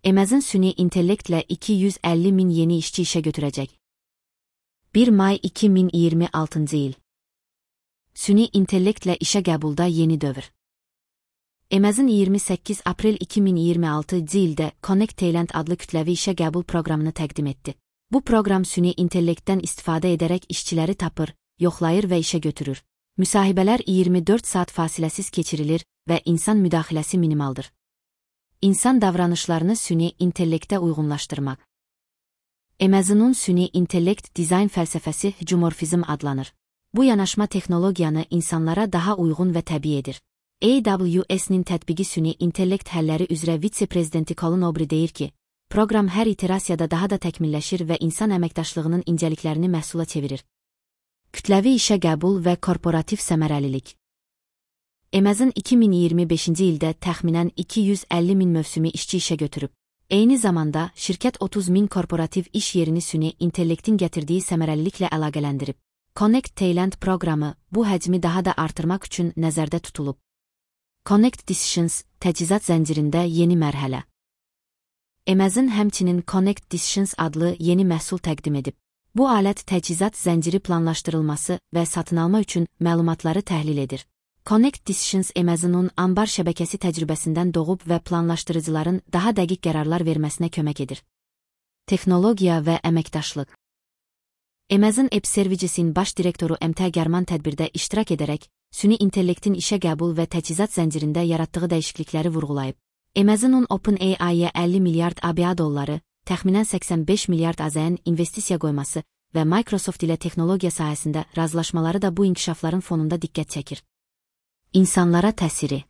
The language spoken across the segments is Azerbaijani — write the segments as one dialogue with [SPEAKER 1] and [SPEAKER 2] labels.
[SPEAKER 1] Amazon süni intellektlə 250 min yeni işçi işə götürəcək. 1 may 2026 il. Süni intellektlə işə qəbulda yeni dövr. Amazon 28 aprel 2026 ildə Connect Talent adlı kütləvi işə qəbul proqramını təqdim etdi. Bu proqram süni intellektdən istifadə edərək işçiləri tapır, yoxlayır və işə götürür. Müsahibələr 24 saat fasiləsiz keçirilir və insan müdaxiləsi minimaldır. İnsan davranışlarını süni intellektə uyğunlaşdırmaq. Amazon'un süni intellekt dizayn fəlsəfəsi humorfizm adlanır. Bu yanaşma texnologiyanı insanlara daha uyğun və təbii edir. AWS-nin tətbiqi süni intellekt həlləri üzrə vitse-prezidenti Colin O'Brien deyir ki, proqram hər iterasiyada daha da təkmilləşir və insan əməkdaşlığının incəliklərini məhsula çevirir. Kütləvi işə qəbul və korporativ səmərəlilik. Amazon 2025-ci ildə təxminən 250 min mövsümi işçi işə götürüb. Eyni zamanda, şirkət 30 min korporativ iş yerini süni intellektin gətirdiyi səmərəliliklə əlaqələndirib. Connect Talent proqramı bu həcmi daha da artırmaq üçün nəzərdə tutulub. Connect Decisions, təchizat zəncirində yeni mərhələ. Amazon həmçinin Connect Decisions adlı yeni məhsul təqdim edib. Bu alət təchizat zənciri planlaşdırılması və satın alma üçün məlumatları təhlil edir. Connect Decisions Amazon'un anbar şəbəkəsi təcrübəsindən doğub və planlaşdırıcıların daha dəqiq qərarlar verməsinə kömək edir. Texnologiya və əməkdaşlıq. Amazon App Services'in baş direktoru MT German tədbirdə iştirak edərək, süni intellektin işə qəbul və təchizat zəncirində yaratdığı dəyişiklikləri vurğulayıb. Amazon'un OpenAI-yə 50 milyard ABA dolları, təxminən 85 milyard AZN investisiya qoyması və Microsoft ilə texnologiya sahəsində razılaşmaları da bu inkişafların fonunda diqqət çəkir. İnsanlara təsiri.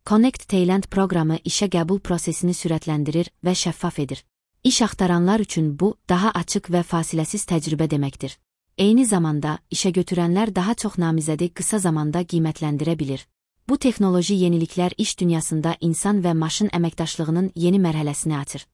[SPEAKER 1] Connect Talent proqramı işə qəbul prosesini sürətləndirir və şəffaf edir. İş axtaranlar üçün bu, daha açıq və fasiləsiz təcrübə deməkdir. Eyni zamanda, işə götürənlər daha çox namizədi qısa zamanda qiymətləndirə bilir. Bu texnoloji yeniliklər iş dünyasında insan və maşın əməkdaşlığının yeni mərhələsini açır.